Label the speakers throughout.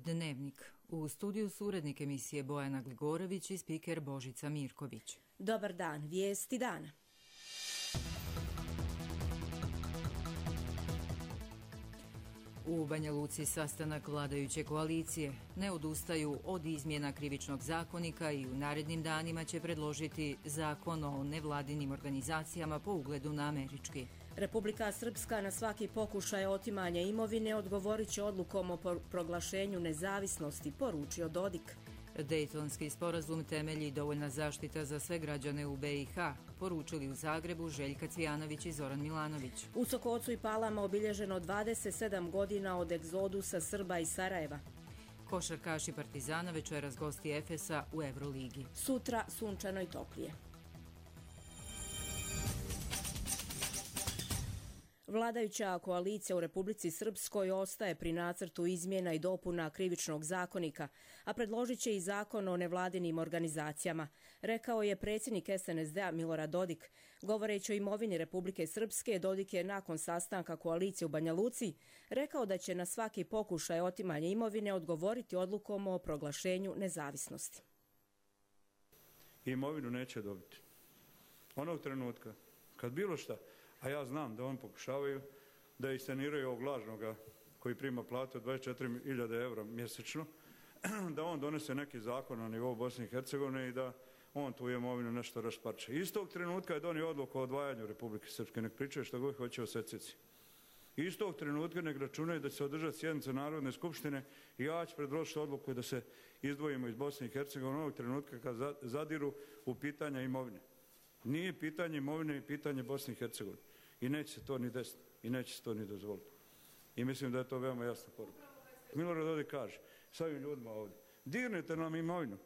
Speaker 1: Dnevnik. U studiju su urednik emisije Bojana Gligorović i spiker Božica Mirković.
Speaker 2: Dobar dan, vijesti dana.
Speaker 1: U Banja Luci sastanak vladajuće koalicije. Ne odustaju od izmjena krivičnog zakonika i u narednim danima će predložiti zakon o nevladinim organizacijama po ugledu na američki.
Speaker 2: Republika Srpska na svaki pokušaj otimanja imovine odgovorit će odlukom o proglašenju nezavisnosti, poručio Dodik.
Speaker 1: Dejtonski sporazum temelji i dovoljna zaštita za sve građane u BiH, poručili u Zagrebu Željka Cvijanović i Zoran Milanović.
Speaker 2: U Sokocu i Palama obilježeno 27 godina od egzodusa Srba iz Sarajeva.
Speaker 1: Košarkaši Partizana večeras gosti Efesa u Euroligi.
Speaker 2: Sutra sunčano i toplije. Vladajuća koalicija u Republici Srpskoj ostaje pri nacrtu izmjena i dopuna krivičnog zakonika, a predložit će i zakon o nevladinim organizacijama, rekao je predsjednik SNSD-a Milorad Dodik. Govoreći o imovini Republike Srpske, Dodik je nakon sastanka koalicije u Banja Luci rekao da će na svaki pokušaj otimanja imovine odgovoriti odlukom o proglašenju nezavisnosti.
Speaker 3: Imovinu neće dobiti. Onog trenutka kad bilo šta, a ja znam da on pokušavaju da isceniraju ovog lažnoga koji prima platu od 24.000 eura mjesečno, da on donese neki zakon na nivou Bosne i Hercegovine i da on tu imovinu nešto rasparče. Istog trenutka je donio odluku o odvajanju Republike Srpske, nek pričaju što god hoće o secesiji. Istog trenutka nek računaju da će se održati sjednica Narodne skupštine i ja ću predložiti odluku da se izdvojimo iz Bosne i Hercegovine onog trenutka kad zadiru u pitanja imovine. Nije pitanje imovine i pitanje Bosne i Hercegovine. I neće se to ni desiti. I neće se to ni dozvoliti. I mislim da je to veoma jasna poruka. Milorad Dodik kaže s ovim ljudima ovdje, dirnete nam imovinu.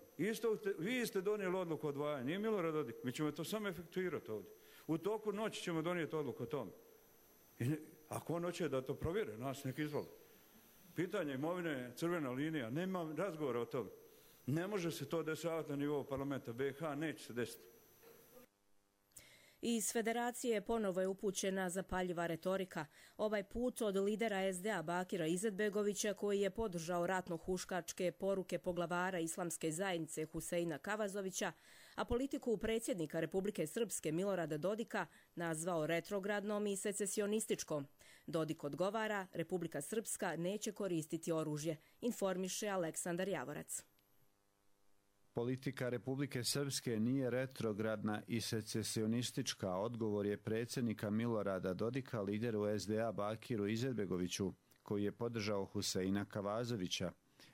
Speaker 3: Vi ste donijeli odluku o odvajanju. Nije Milorad Dodik. Mi ćemo to samo efektuirati ovdje. U toku noći ćemo donijeti odluku o tome. Ako on hoće da to provjere, nas nek izvoli. Pitanje imovine je crvena linija. Nema razgovora o tome. Ne može se to dešavati na nivou parlamenta. BiH neće se desiti.
Speaker 2: Iz Federacije ponovo je upućena zapaljiva retorika, ovaj put od lidera SDA Bakira Izetbegovića koji je podržao ratno-huškačke poruke poglavara islamske zajednice Huseina Kavazovića, a politiku predsjednika Republike Srpske Milorada Dodika nazvao retrogradnom i secesionističkom. Dodik odgovara, Republika Srpska neće koristiti oružje, informiše Aleksandar Javorac.
Speaker 4: Politika Republike Srpske nije retrogradna i secesionistička, odgovor je predsjednika Milorada Dodika lideru SDA Bakiru Izetbegoviću, koji je podržao Huseina Kavazovića.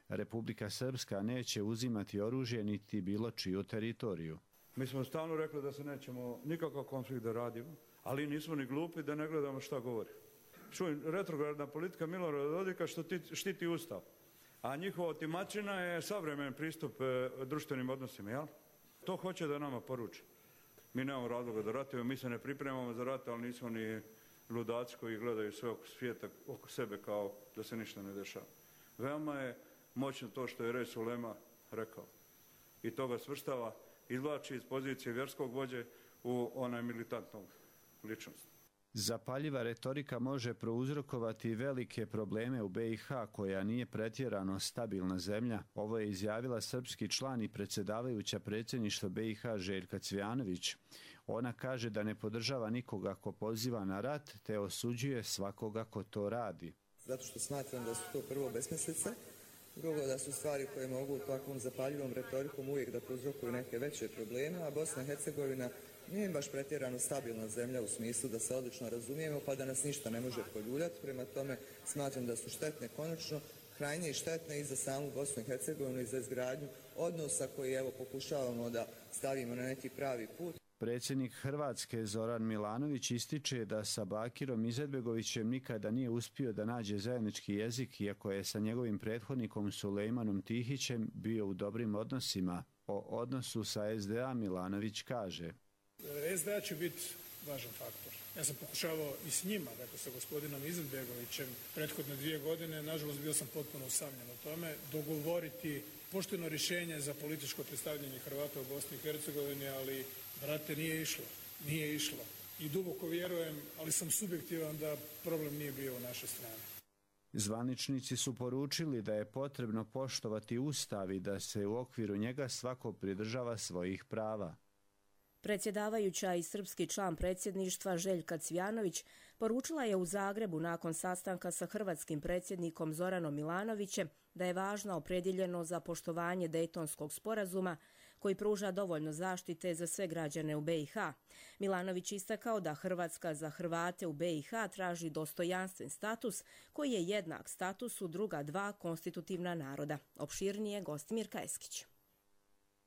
Speaker 4: Republika Srpska neće uzimati oružje niti bilo čiju teritoriju.
Speaker 3: Mi smo stalno rekli da se nećemo nikakav konflikt da radimo, ali nismo ni glupi da ne gledamo šta govori. Čujem, retrogradna politika Milorada Dodika što štiti Ustav. A njihova otimačina je savremen pristup društvenim odnosima, jel? To hoće da nama poruči. Mi nemamo razloga da ratujemo, mi se ne pripremamo za rat, ali nismo ni ludaci koji gledaju sve oko svijeta, oko sebe kao da se ništa ne dešava. Veoma je moćno to što je Res Ulema rekao. I to ga svrstava, izvlači iz pozicije vjerskog vođe u onaj militantnog ličnost.
Speaker 4: Zapaljiva retorika može prouzrokovati velike probleme u BiH koja nije pretjerano stabilna zemlja. Ovo je izjavila srpski član i predsjedavajuća predsjedništva BiH Željka Cvijanović. Ona kaže da ne podržava nikoga ko poziva na rat, te osuđuje svakoga ko to radi.
Speaker 5: Zato što smatram da su to prvo besmislice, drugo da su stvari koje mogu takvom zapaljivom retorikom uvijek da prouzrokuju neke veće probleme, a Bosna i Hercegovina nije baš pretjerano stabilna zemlja u smislu da se odlično razumijemo pa da nas ništa ne može poljuljati. Prema tome smatram da su štetne konačno, krajnje i štetne i za samu Bosnu i Hercegovinu i za izgradnju odnosa koji evo pokušavamo da stavimo na neki pravi put.
Speaker 4: Predsjednik Hrvatske Zoran Milanović ističe da sa Bakirom Izetbegovićem nikada nije uspio da nađe zajednički jezik, iako je sa njegovim prethodnikom Sulejmanom Tihićem bio u dobrim odnosima. O odnosu sa SDA Milanović kaže:
Speaker 6: SDA će biti važan faktor. Ja sam pokušavao i s njima, dakle sa gospodinom Izetbegovićem, prethodne 2 godine, nažalost bio sam potpuno usamljen o tome, dogovoriti pošteno rješenje za političko predstavljanje Hrvata u Bosni i Hercegovini, ali, brate, nije išlo. I duboko vjerujem, ali sam subjektivan da problem nije bio u našoj strani.
Speaker 4: Zvaničnici su poručili da je potrebno poštovati Ustav i da se u okviru njega svako pridržava svojih prava.
Speaker 2: Predsjedavajuća i srpski član predsjedništva Željka Cvijanović poručila je u Zagrebu nakon sastanka sa hrvatskim predsjednikom Zoranom Milanovićem da je važna opredjeljenost za poštovanje Dejtonskog sporazuma koji pruža dovoljno zaštite za sve građane u BiH. Milanović istakao da Hrvatska za Hrvate u BiH traži dostojanstven status koji je jednak statusu druga dva konstitutivna naroda. Opširnije Gostimir Kajeskić.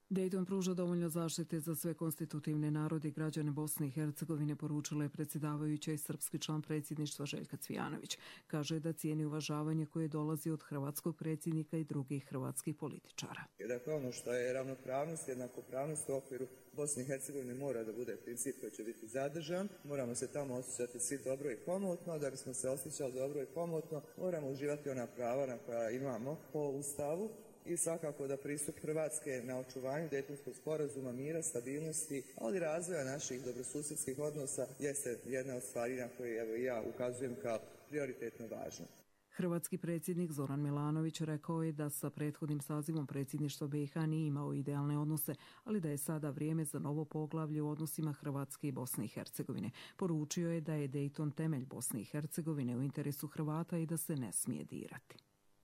Speaker 7: Dejton pruža dovoljno zaštite za sve konstitutivne narode i građane Bosne i Hercegovine, poručila je predsjedavajuća i srpski član predsjedništva Željka Cvijanović. Kaže da cijeni uvažavanje koje dolazi od hrvatskog predsjednika i drugih hrvatskih političara.
Speaker 5: Dakle, ono što je ravnopravnost, jednakopravnost u okviru Bosne i Hercegovine mora da bude princip koji će biti zadržan. Moramo se tamo osjećati svi dobro i komotno. Da bismo se osjećali dobro i komotno, moramo uživati ona prava na koja imamo po Ustavu. I svakako da pristup Hrvatske na očuvanju Dejtonskog sporazuma, mira, stabilnosti, ali i razvoja naših dobrosusjedskih odnosa jeste jedna od stvari na koje evo ja ukazujem kao prioritetno važno.
Speaker 7: Hrvatski predsjednik Zoran Milanović rekao je da sa prethodnim sazivom predsjedništva BiH nije imao idealne odnose, ali da je sada vrijeme za novo poglavlje u odnosima Hrvatske i Bosne i Hercegovine. Poručio je da je Dejton temelj Bosne i Hercegovine u interesu Hrvata i da se ne smije dirati.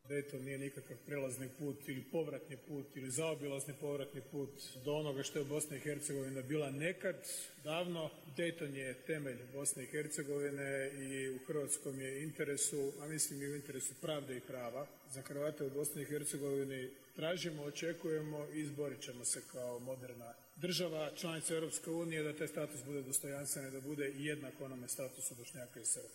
Speaker 6: Dejton nije nikakav prelazni put ili povratni put ili zaobilazni povratni put do onoga što je Bosna i Hercegovina bila nekad, davno. Dejton je temelj Bosne i Hercegovine i u hrvatskom je interesu, a mislim i u interesu pravde i prava. Za Hrvate u Bosni i Hercegovini tražimo, očekujemo i izborit ćemo se kao moderna država, članica Europske unije, da taj status bude dostojanstven i da bude jednak onome statusu Bošnjaka i Srba.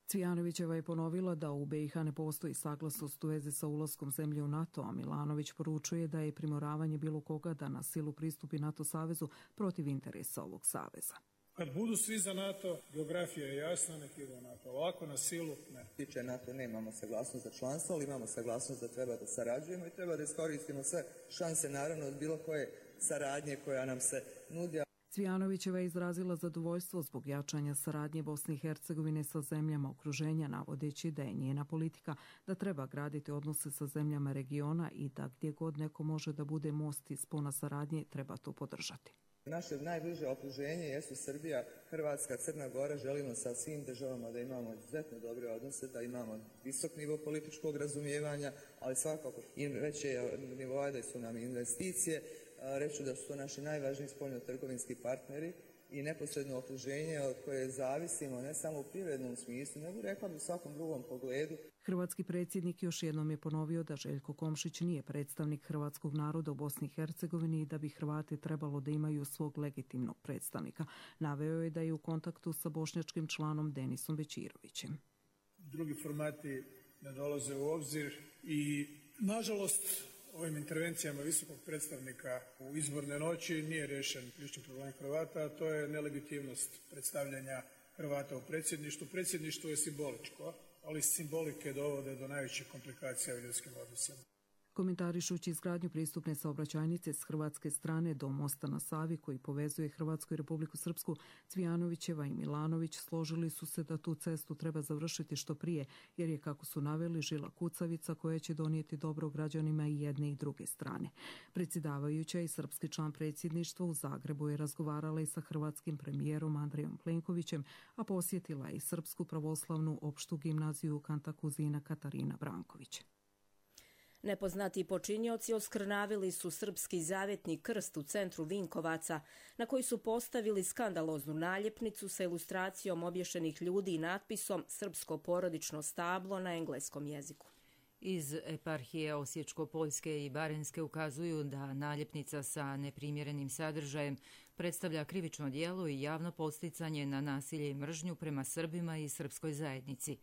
Speaker 7: Cvijanovićeva je ponovila da u BiH ne postoji saglasnost u vezi sa ulaskom zemlje u NATO, a Milanović poručuje da je primoravanje bilo koga da na silu pristupi NATO savezu protiv interesa ovog saveza.
Speaker 6: Kad budu svi za NATO, geografija je jasna, nek ide NATO. Ovako na silu, ne.
Speaker 5: Tiče NATO nemamo saglasnost za članstvo, ali imamo saglasnost da treba da sarađujemo i treba da iskoristimo sve šanse, naravno, od bilo koje saradnje koja nam se nudi.
Speaker 7: Cvijanovićeva je izrazila zadovoljstvo zbog jačanja saradnje Bosne i Hercegovine sa zemljama okruženja, navodeći da je njena politika da treba graditi odnose sa zemljama regiona i da gdje god neko može da bude most i spona saradnje, treba to podržati.
Speaker 5: Naše najbliže okruženje jesu Srbija, Hrvatska, Crna Gora. Želimo sa svim državama da imamo izuzetno dobre odnose, da imamo visok nivo političkog razumijevanja, ali svakako i veće nivoa da su nam investicije. Reću da su to naši najvažniji spoljno-trgovinski partneri i neposredno okruženje od koje zavisimo ne samo u privrednom smislu, nego rekla bi u svakom drugom pogledu.
Speaker 7: Hrvatski predsjednik još jednom je ponovio da Željko Komšić nije predstavnik hrvatskog naroda u Bosni i Hercegovini i da bi Hrvati trebalo da imaju svog legitimnog predstavnika. Naveo je da je u kontaktu sa bošnjačkim članom Denisom Bećirovićem.
Speaker 6: Drugi formati ne dolaze u obzir i, nažalost, ovim intervencijama visokog predstavnika u izborne noći nije rješen ključni problem Hrvata, a to je nelegitimnost predstavljanja Hrvata u predsjedništvu. Predsjedništvo je simboličko, ali simbolike dovode do najvećih komplikacija u ljudskim odnosima.
Speaker 7: Komentarišući izgradnju pristupne saobraćajnice s hrvatske strane do mosta na Savi koji povezuje Hrvatsku i Republiku Srpsku, Cvijanovićeva i Milanović složili su se da tu cestu treba završiti što prije, jer je, kako su naveli, žila kucavica koja će donijeti dobro građanima i jedne i druge strane. Predsjedavajuća i srpski član predsjedništva u Zagrebu je razgovarala i sa hrvatskim premijerom Andrejom Plenkovićem, a posjetila je i Srpsku pravoslavnu opštu gimnaziju Kantakuzina Katarina Branković.
Speaker 2: Nepoznati počinioci oskrnavili su srpski zavjetni krst u centru Vinkovaca, na koji su postavili skandaloznu naljepnicu sa ilustracijom obješenih ljudi i natpisom "Srpsko porodično stablo" na engleskom jeziku.
Speaker 1: Iz eparhije Osječko-Poljske i Barenjske ukazuju da naljepnica sa neprimjerenim sadržajem predstavlja krivično djelo i javno podsticanje na nasilje i mržnju prema Srbima i srpskoj zajednici.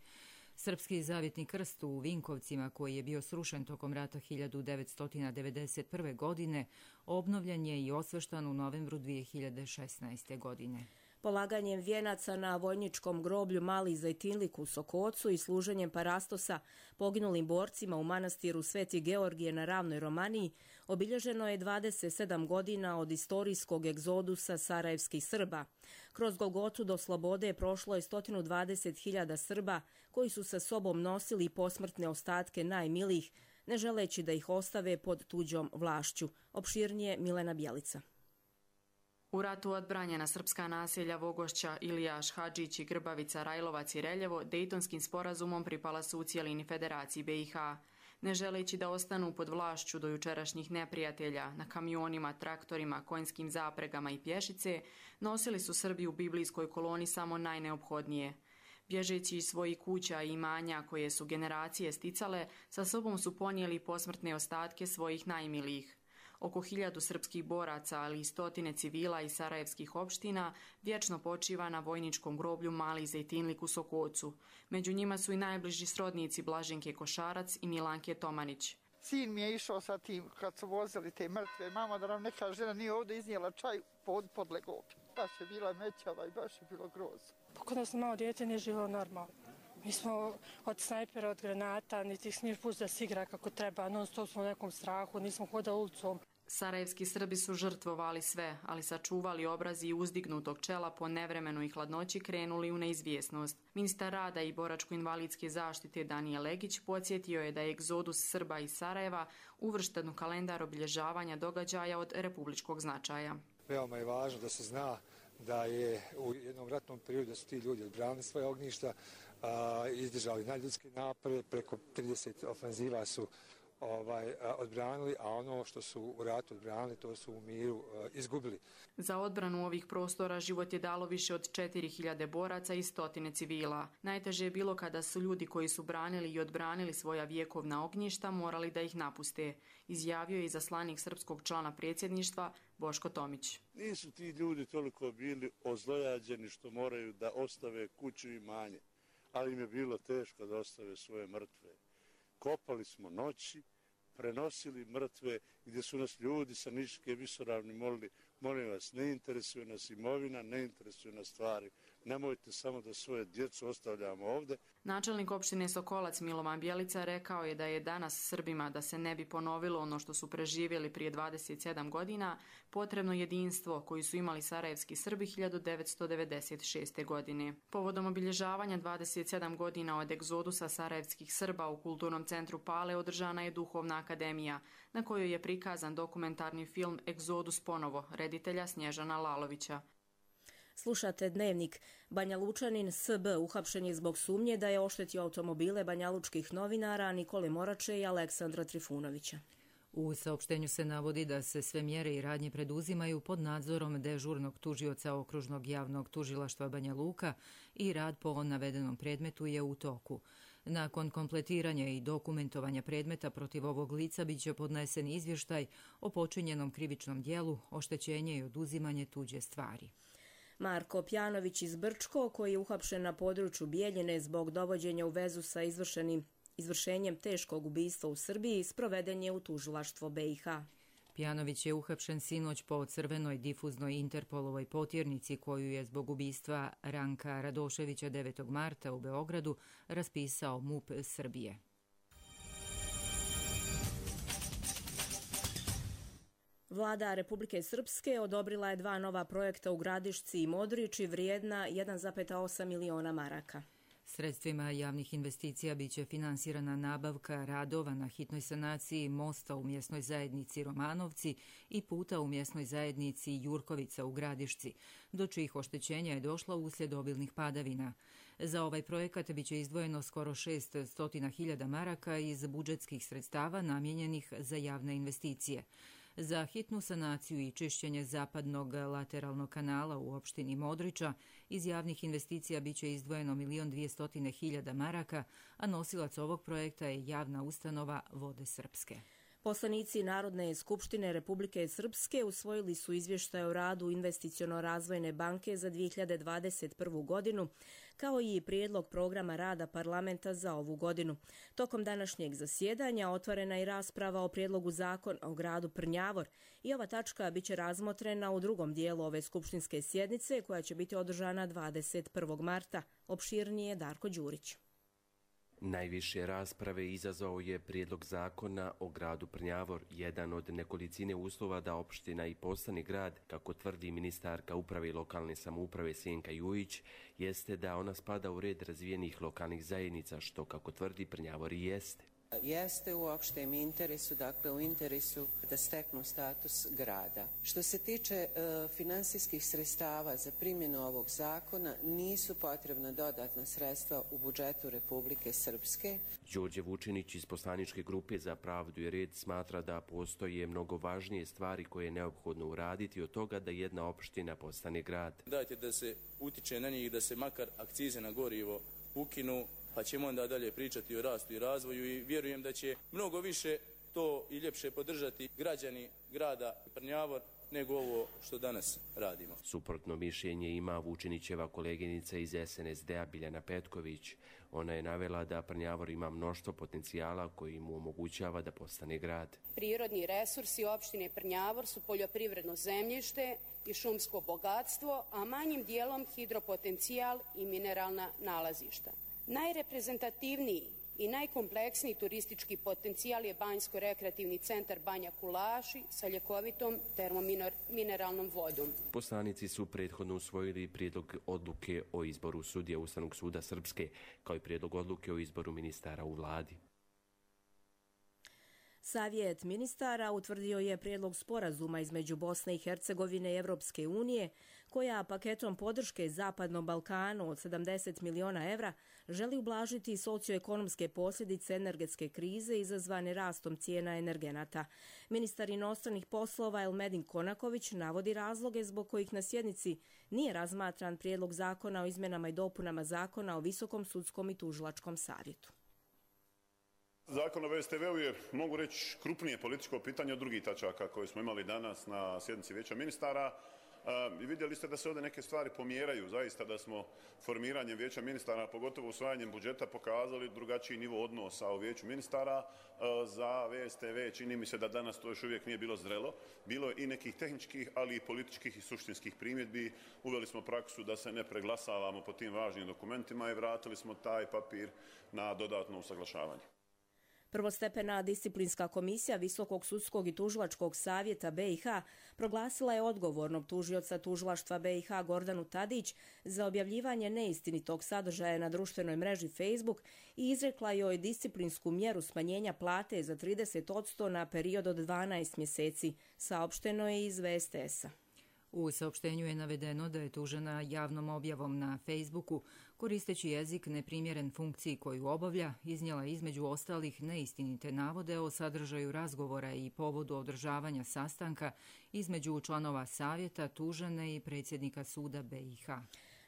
Speaker 1: Srpski zavjetni krst u Vinkovcima, koji je bio srušen tokom rata 1991. godine, obnovljen je i osveštan u novembru 2016. godine.
Speaker 2: Polaganjem vijenaca na vojničkom groblju Mali Zejtinlik u Sokocu i služenjem parastosa poginulim borcima u manastiru Sveti Georgije na Ravnoj Romaniji obilježeno je 27 godina od istorijskog egzodusa sarajevskih Srba. Kroz Golgotu do slobode prošlo je 120.000 Srba koji su sa sobom nosili posmrtne ostatke najmilijih, ne želeći da ih ostave pod tuđom vlašću. Opširnije Milena Bjelica.
Speaker 8: U ratu odbranjena srpska naselja Vogošća, Ilijaš, Hadžić i Grbavica, Rajlovac i Reljevo Dejtonskim sporazumom pripala su u cijelini Federaciji BiH. Ne želeći da ostanu pod vlašću do jučerašnjih neprijatelja, na kamionima, traktorima, konjskim zapregama i pješice, nosili su Srbi u biblijskoj koloni samo najneophodnije. Bježeći iz svojih kuća i imanja koje su generacije sticale, sa sobom su ponijeli posmrtne ostatke svojih najmilijih. Oko 1000 srpskih boraca, ali i stotine civila iz sarajevskih opština vječno počiva na vojničkom groblju Mali Zejtinlik u Sokocu. Među njima su i najbliži srodnici Blaženke Košarac i Milanke Tomanić.
Speaker 9: Sin mi je išao sa tim kad su vozili te mrtve. Mama da nam neka žena nije ovdje iznijela čaj podlegao. Baš je bila mećava i baš je bilo grozno.
Speaker 10: Kod nas malo dijete nije živjelo normalno. Mi smo od snajpera, od granata, niti smiješ pustiti da se igra kako treba, non stop smo u nekom strahu, nismo hodali ulicom.
Speaker 8: Sarajevski Srbi su žrtvovali sve, ali sačuvali obrazi i uzdignutog čela po nevremenu i hladnoći krenuli u neizvjesnost. Ministar rada i boračko-invalidske zaštite Danijel Legić podsjetio je da je egzodus Srba iz Sarajeva uvršten u kalendar obilježavanja događaja od republičkog značaja.
Speaker 11: Veoma je važno da se zna da je u jednom ratnom periodu da su ti ljudi odbranili svoje ognjišta, izdržali najljudske napore, preko 30 ofenziva su odbranili, a ono što su u ratu odbranili, to su u miru izgubili.
Speaker 8: Za odbranu ovih prostora život je dalo više od 4000 boraca i stotine civila. Najteže je bilo kada su ljudi koji su branili i odbranili svoja vjekovna ognjišta morali da ih napuste, izjavio je izaslanik srpskog člana predsjedništva Boško Tomić.
Speaker 12: Nisu ti ljudi toliko bili ozlojađeni što moraju da ostave kuću i imanje, ali im je bilo teško da ostave svoje mrtve. Kopali smo noći, prenosili mrtve, gdje su nas ljudi sa Niške visoravni molili, molim vas, ne interesuje nas imovina, ne interesuje nas stvari, nemojte samo da svoje djecu ostavljamo ovdje.
Speaker 8: Načelnik opštine Sokolac Milovan Bjelica rekao je da je danas Srbima, da se ne bi ponovilo ono što su preživjeli prije 27 godina, potrebno jedinstvo koji su imali sarajevski Srbi 1996. godine. Povodom obilježavanja 27 godina od egzodusa sarajevskih Srba u Kulturnom centru Pale održana je Duhovna akademija, na kojoj je prikazan dokumentarni film Egzodus ponovo, reditelja Snježana Lalovića.
Speaker 2: Slušate Dnevnik. Banjalučanin SB uhapšen je zbog sumnje da je oštetio automobile banjalučkih novinara Nikole Morače i Aleksandra Trifunovića.
Speaker 1: U saopštenju se navodi da se sve mjere i radnje preduzimaju pod nadzorom dežurnog tužioca Okružnog javnog tužilaštva Banja Luka i rad po navedenom predmetu je u toku. Nakon kompletiranja i dokumentovanja predmeta protiv ovog lica biće podnesen izvještaj o počinjenom krivičnom dijelu, oštećenje i oduzimanje tuđe stvari.
Speaker 2: Marko Pjanović iz Brčko, koji je uhapšen na području Bijeljine zbog dovođenja u vezu sa izvršenjem teškog ubistva u Srbiji, sproveden je u tužilaštvo BiH.
Speaker 1: Pjanović je uhapšen sinoć po crvenoj difuznoj Interpolovoj potjernici koju je zbog ubistva Ranka Radoševića 9. marta u Beogradu raspisao MUP Srbije.
Speaker 2: Vlada Republike Srpske odobrila je 2 nova projekta u Gradišci i Modriči vrijedna 1,8 miliona maraka.
Speaker 1: Sredstvima javnih investicija biće finansirana nabavka radova na hitnoj sanaciji mosta u mjesnoj zajednici Romanovci i puta u mjesnoj zajednici Jurkovica u Gradišci, do čijih oštećenja je došlo uslijed obilnih padavina. Za ovaj projekat biće izdvojeno skoro 600.000 maraka iz budžetskih sredstava namijenjenih za javne investicije. Za hitnu sanaciju i čišćenje zapadnog lateralnog kanala u opštini Modriča iz javnih investicija biće izdvojeno 1.200.000 maraka, a nosilac ovog projekta je javna ustanova Vode Srpske.
Speaker 2: Poslanici Narodne skupštine Republike Srpske usvojili su izvještaj o radu Investiciono-razvojne banke za 2021. godinu, kao i prijedlog programa rada parlamenta za ovu godinu. Tokom današnjeg zasjedanja otvorena je rasprava o prijedlogu zakona o gradu Prnjavor i ova tačka biće razmotrena u drugom dijelu ove skupštinske sjednice koja će biti održana 21. marta. Opširnije Darko Đurić.
Speaker 13: Najviše rasprave izazvao je prijedlog zakona o gradu Prnjavor, jedan od nekolicine uslova da opština i postane grad, kako tvrdi ministarka uprave i lokalne samouprave Sjenka Jujić, jeste da ona spada u red razvijenih lokalnih zajednica, što, kako tvrdi, Prnjavor i jeste.
Speaker 14: Jeste u opštem interesu, dakle u interesu da steknu status grada. Što se tiče finansijskih sredstava za primjenu ovog zakona, nisu potrebna dodatna sredstva u budžetu Republike Srpske.
Speaker 13: Đorđe Vučinić iz poslaničke grupe za pravdu i red smatra da postoje mnogo važnije stvari koje je neophodno uraditi od toga da jedna opština postane grad.
Speaker 15: Dajte da se utiče na njih, da se makar akcize na gorivo ukinu, pa ćemo onda dalje pričati o rastu i razvoju i vjerujem da će mnogo više to i ljepše podržati građani grada Prnjavor nego ovo što danas radimo.
Speaker 13: Suprotno mišljenje ima Vučinićeva koleginica iz SNSD-a Biljana Petković. Ona je navela da Prnjavor ima mnoštvo potencijala koji mu omogućava da postane grad.
Speaker 16: Prirodni resursi opštine Prnjavor su poljoprivredno zemljište i šumsko bogatstvo, a manjim dijelom hidropotencijal i mineralna nalazišta. Najreprezentativniji i najkompleksniji turistički potencijal je Banjsko-rekreativni centar Banja Kulaši sa ljekovitom termomineralnom vodom.
Speaker 13: Poslanici su prethodno usvojili prijedlog odluke o izboru sudija Ustavnog suda Srpske, kao i prijedlog odluke o izboru ministara u vladi.
Speaker 2: Savjet ministara utvrdio je prijedlog sporazuma između Bosne i Hercegovine i Evropske unije, koja paketom podrške Zapadnom Balkanu od 70 miliona evra želi ublažiti socioekonomske posljedice energetske krize izazvane rastom cijena energenata. Ministar inostranih poslova Elmedin Konaković navodi razloge zbog kojih na sjednici nije razmatran prijedlog zakona o izmjenama i dopunama zakona o Visokom sudskom i tužilačkom savjetu.
Speaker 17: Zakon o VSTV-u je, mogu reći, krupnije političko pitanje od drugih tačaka koje smo imali danas na sjednici Vijeća ministara. I vidjeli ste da se ovdje neke stvari pomjeraju, zaista da smo formiranjem Vijeća ministara, pogotovo usvajanjem budžeta, pokazali drugačiji nivo odnosa u Vijeću ministara. Za VSTV čini mi se da danas to još uvijek nije bilo zrelo. Bilo je i nekih tehničkih, ali i političkih i suštinskih primjedbi. Uveli smo praksu da se ne preglasavamo po tim važnim dokumentima i vratili smo taj papir na dodatno usaglašavanje.
Speaker 2: Prvostepena disciplinska komisija Visokog sudskog i tužilačkog savjeta BiH proglasila je odgovornog tužioca tužilaštva BiH Gordanu Tadić za objavljivanje neistinitog sadržaja na društvenoj mreži Facebook i izrekla joj disciplinsku mjeru smanjenja plate za 30% na period od 12 mjeseci, saopšteno je iz VSTS-a.
Speaker 1: U saopštenju je navedeno da je tužena javnom objavom na Facebooku, koristeći jezik neprimjeren funkciji koju obavlja, iznijela između ostalih neistinite navode o sadržaju razgovora i povodu održavanja sastanka između članova savjeta, tužene i predsjednika suda BiH.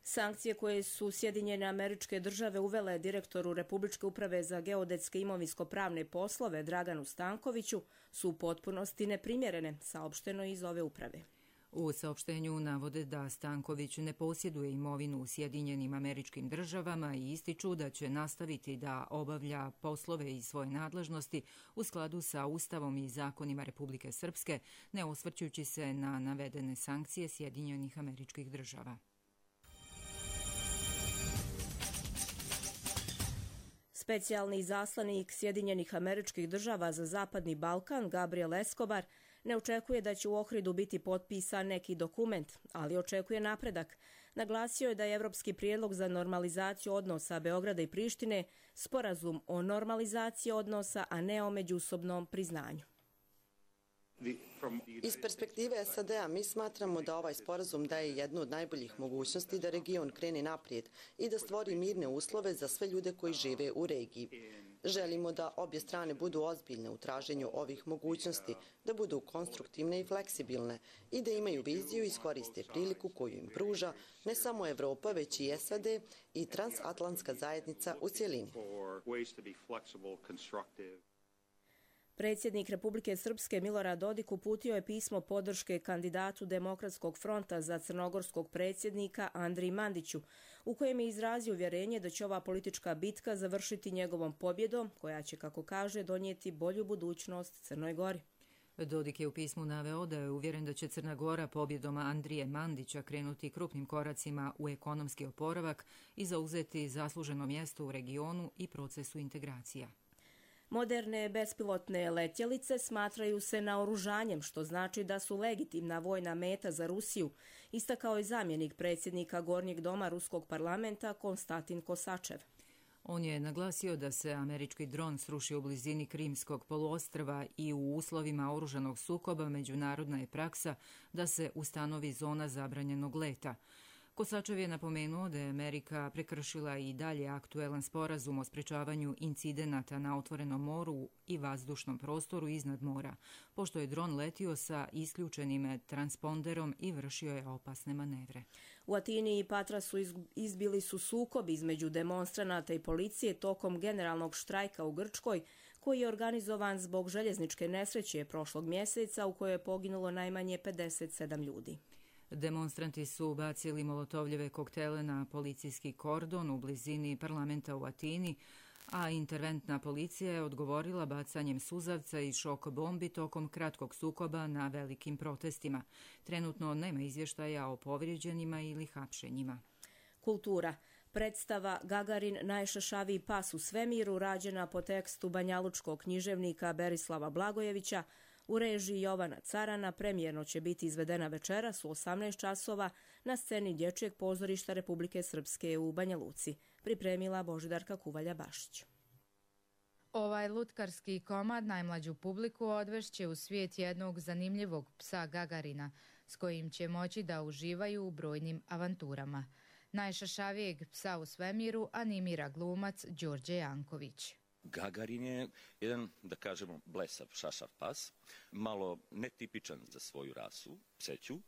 Speaker 2: Sankcije koje su Sjedinjene Američke Države uvele direktoru Republičke uprave za geodetske imovinsko-pravne poslove Draganu Stankoviću su u potpunosti neprimjerene, saopšteno iz ove uprave.
Speaker 1: U saopštenju navode da Stanković ne posjeduje imovinu u Sjedinjenim Američkim Državama i ističu da će nastaviti da obavlja poslove iz svoje nadležnosti u skladu sa Ustavom i zakonima Republike Srpske, ne osvrćujući se na navedene sankcije Sjedinjenih Američkih Država.
Speaker 2: Specijalni izaslanik Sjedinjenih Američkih Država za Zapadni Balkan, Gabriel Escobar, ne očekuje da će u Ohridu biti potpisan neki dokument, ali očekuje napredak. Naglasio je da je evropski prijedlog za normalizaciju odnosa Beograda i Prištine sporazum o normalizaciji odnosa, a ne o međusobnom priznanju.
Speaker 18: Iz perspektive SAD-a mi smatramo da ovaj sporazum daje jednu od najboljih mogućnosti da region krene naprijed i da stvori mirne uslove za sve ljude koji žive u regiji. Želimo da obje strane budu ozbiljne u traženju ovih mogućnosti, da budu konstruktivne i fleksibilne i da imaju viziju i iskoriste priliku koju im pruža ne samo Evropa, već i SAD i transatlantska zajednica u cjelini.
Speaker 2: Predsjednik Republike Srpske Milorad Dodik uputio je pismo podrške kandidatu Demokratskog fronta za crnogorskog predsjednika Andriji Mandiću, u kojem je izrazio uvjerenje da će ova politička bitka završiti njegovom pobjedom, koja će, kako kaže, donijeti bolju budućnost Crnoj Gori.
Speaker 1: Dodik je u pismu naveo da je uvjeren da će Crna Gora pobjedom Andrije Mandića krenuti krupnim koracima u ekonomski oporavak i zauzeti zasluženo mjesto u regionu i procesu integracija.
Speaker 2: Moderne bespilotne letjelice smatraju se naoružanjem, što znači da su legitimna vojna meta za Rusiju, istakao je zamjenik predsjednika Gornjeg doma Ruskog parlamenta Konstantin Kosačev.
Speaker 1: On je naglasio da se američki dron srušio u blizini Krimskog poluostrva i u uslovima oružanog sukoba međunarodna je praksa da se ustanovi zona zabranjenog leta. Kosačev je napomenuo da je Amerika prekršila i dalje aktuelan sporazum o sprečavanju incidenata na otvorenom moru i vazdušnom prostoru iznad mora, pošto je dron letio sa isključenim transponderom i vršio je opasne manevre.
Speaker 2: U Atini i Patrasu izbili su sukobi između demonstranata i policije tokom generalnog štrajka u Grčkoj, koji je organizovan zbog željezničke nesreće prošlog mjeseca u kojoj je poginulo najmanje 57 ljudi.
Speaker 1: Demonstranti su bacili molotovljeve koktele na policijski kordon u blizini parlamenta u Atini, a interventna policija je odgovorila bacanjem suzavca i šok bombi tokom kratkog sukoba na velikim protestima. Trenutno nema izvještaja o povrijeđenima ili hapšenjima.
Speaker 2: Kultura. Predstava Gagarin najšašaviji pas u svemiru, rađena po tekstu banjalučkog književnika Berislava Blagojevića, u režiji Jovana Carana, premijerno će biti izvedena večeras u 18 časova na sceni Dječjeg pozorišta Republike Srpske u Banja Luci, pripremila Božidarka Kuvalja-Bašić.
Speaker 19: Ovaj lutkarski komad najmlađu publiku odvešće u svijet jednog zanimljivog psa Gagarina, s kojim će moći da uživaju u brojnim avanturama. Najšašavijeg psa u svemiru animira glumac Đorđe Janković.
Speaker 20: Gagarin je jedan, da kažemo, blesav, šašav pas, malo netipičan za svoju rasu, pseću,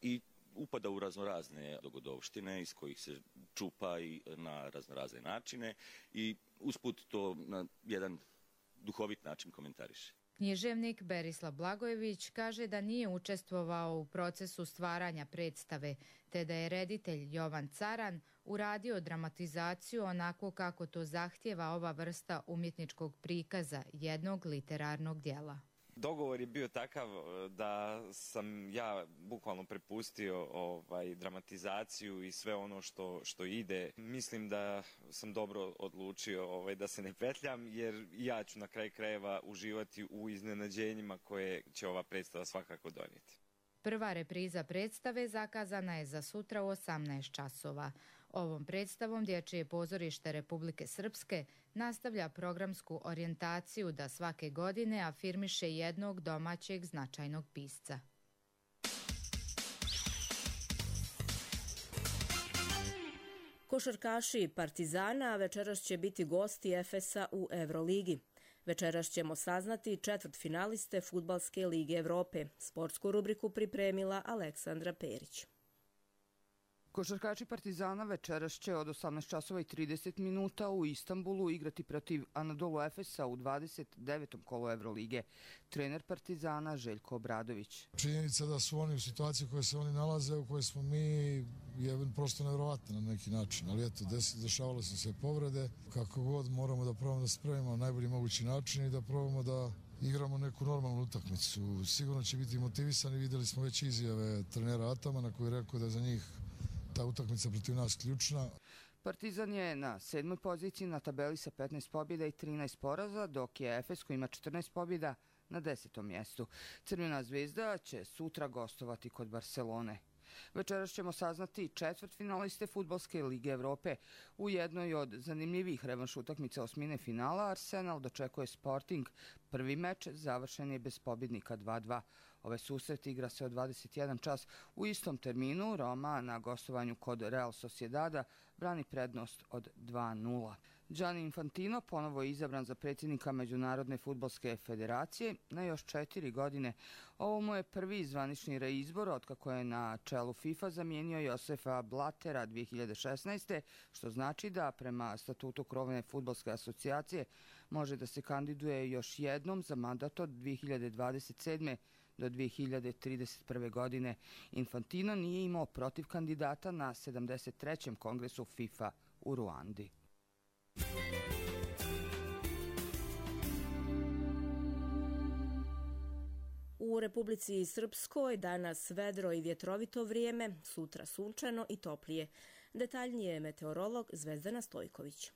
Speaker 20: i upada u raznorazne dogodovštine iz kojih se čupa i na raznorazne načine i usput to na jedan duhovit način komentariše.
Speaker 19: Književnik Berislav Blagojević kaže da nije učestvovao u procesu stvaranja predstave, te da je reditelj Jovan Caran uradio dramatizaciju onako kako to zahtjeva ova vrsta umjetničkog prikaza jednog literarnog djela.
Speaker 21: Dogovor je bio takav da sam ja bukvalno prepustio dramatizaciju i sve ono što ide. Mislim da sam dobro odlučio da se ne petljam, jer ja ću na kraju krajeva uživati u iznenađenjima koje će ova predstava svakako donijeti.
Speaker 19: Prva repriza predstave zakazana je za sutra u 18 časova. Ovom predstavom Dječje pozorište Republike Srpske nastavlja programsku orijentaciju da svake godine afirmiše jednog domaćeg značajnog pisca.
Speaker 2: Košarkaši Partizana večeras će biti gosti Efesa u Euroligi. Večeras ćemo saznati četvrtfinaliste Fudbalske lige Evrope. Sportsku rubriku pripremila Aleksandra Perić.
Speaker 22: Košarkaši Partizana večeras će od 18:30 u Istanbulu igrati protiv Anadolu Efesa u 29. kolu Evrolige. Trener Partizana Željko Obradović.
Speaker 23: Činjenica da su oni u situaciji u kojoj se oni nalaze, u kojoj smo mi, je prosto nevjerovatno na neki način. Ali eto, dešavale su se povrede. Kako god moramo da probamo da se spremimo na najbolji mogući način i da probamo da igramo neku normalnu utakmicu. Sigurno će biti motivisani. Vidjeli smo već izjave trenera Atamana koji je rekao da je za njih ta utakmica protiv nas ključna.
Speaker 22: Partizan je na 7. poziciji na tabeli sa 15 pobjeda i 13 poraza, dok je Efes koji ima 14 pobjeda na 10. mjestu. Crvena zvezda će sutra gostovati kod Barcelone. Večeras ćemo saznati četvrtfinaliste Fudbalske lige Evrope. U jednoj od zanimljivih revanš utakmica osmine finala Arsenal dočekuje Sporting. Prvi meč završen je bez pobjednika 2:2. Ovaj susret igra se od 21 čas u istom terminu. Roma na gostovanju kod Real Sociedada brani prednost od 2:0. Gianni Infantino ponovo je izabran za predsjednika Međunarodne fudbalske federacije na još 4 godine. Ovo mu je prvi zvanični reizbor otkako je na čelu FIFA zamijenio Josefa Blattera 2016. što znači da prema statutu krovne fudbalske asocijacije može da se kandiduje još jednom za mandat od 2027. do 2031. godine. Infantino nije imao protiv kandidata na 73. kongresu FIFA u Ruandi.
Speaker 2: U Republici Srpskoj danas vedro i vjetrovito vrijeme, sutra sunčano i toplije. Detaljnije meteorolog Zvezdana Stojković.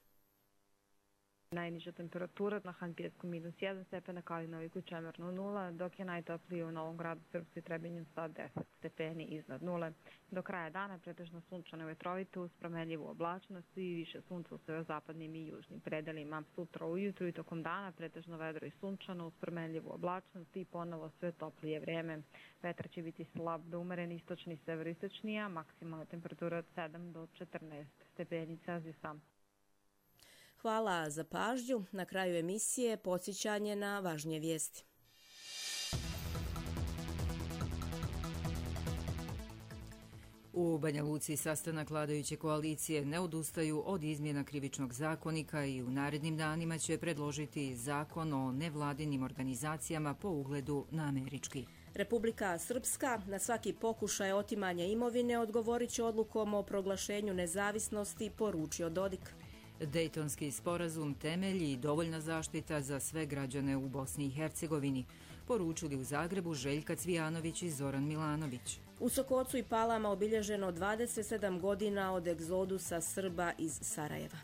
Speaker 3: Najniža temperatura na Hanpijesku -1 stepen, na Kalinoviku čemerno 0, dok je najtoplije u Novom Gradu Srpskoj i Trebinju sa 10 stepeni iznad 0. Do kraja dana pretežno sunčano i vetrovito uz promenljivu oblačnost i više sunca u severozapadnim i južnim predelima. Sutra ujutru i tokom dana pretežno vedro i sunčano uz promenljivu oblačnost i ponovo sve toplije vrijeme. Vetar će biti slab do umeren istočni i severoistočni, a maksimalna temperatura od 7 do 14 stepeni Celzijusa.
Speaker 2: Hvala za pažnju. Na kraju emisije podsjećanje na važnije vijesti.
Speaker 1: U Banja Luci sastanak vladajuće koalicije ne odustaju od izmjena krivičnog zakonika i u narednim danima će predložiti zakon o nevladinim organizacijama po ugledu na američki.
Speaker 2: Republika Srpska na svaki pokušaj otimanja imovine odgovorit će odlukom o proglašenju nezavisnosti, poručio Dodik.
Speaker 1: Dejtonski sporazum temelji i dovoljna zaštita za sve građane u Bosni i Hercegovini, poručili u Zagrebu Željka Cvijanović i Zoran Milanović.
Speaker 2: U Sokocu i Palama obilježeno 27 godina od egzodusa Srba iz Sarajeva.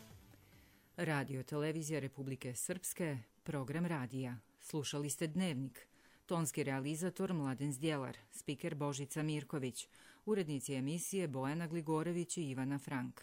Speaker 1: Radio televizija Republike Srpske, program radija. Slušali ste Dnevnik. Tonski realizator Mladen Zdjelar, spiker Božica Mirković, urednici emisije Bojana Gligorević i Ivana Frank.